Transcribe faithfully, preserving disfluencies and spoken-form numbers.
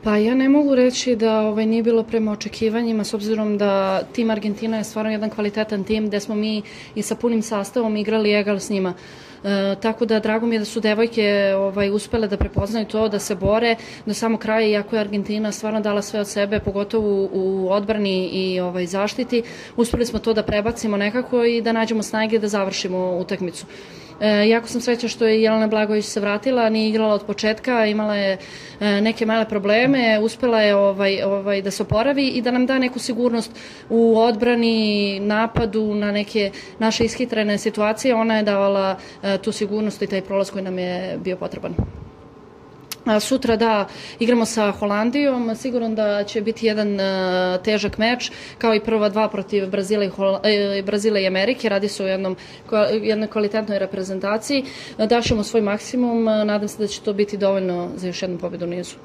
Pa ja ne mogu reći da ovaj, nije bilo prema očekivanjima, s obzirom da tim Argentina je stvarno jedan kvalitetan tim gde smo mi i sa punim sastavom igrali egal s njima. E, tako da drago mi je da su devojke ovaj, uspele da prepoznaju to, da se bore do samog kraja, iako je Argentina stvarno dala sve od sebe, pogotovo u, u odbrani i ovaj, zaštiti. Uspeli smo to da prebacimo nekako i da nađemo snage da završimo utakmicu. E, jako sam srećna što je Jelena Blagojević se vratila, nije igrala od početka, imala je e, neke male probleme, uspela je ovaj, ovaj, da se oporavi i da nam da neku sigurnost u odbrani, napadu, na neke naše ishitrene situacije. Ona je davala e, tu sigurnost i taj prolaz koji nam je bio potreban. Sutra da igramo sa Holandijom, sigurno da će biti jedan uh, težak meč, kao i prva dva protiv Brazila i, Hol Brazila i Amerike. Radi se o jednom, jednoj kvalitetnoj reprezentaciji. Daćemo svoj maksimum, nadam se da će to biti dovoljno za još jednu pobedu u nizu.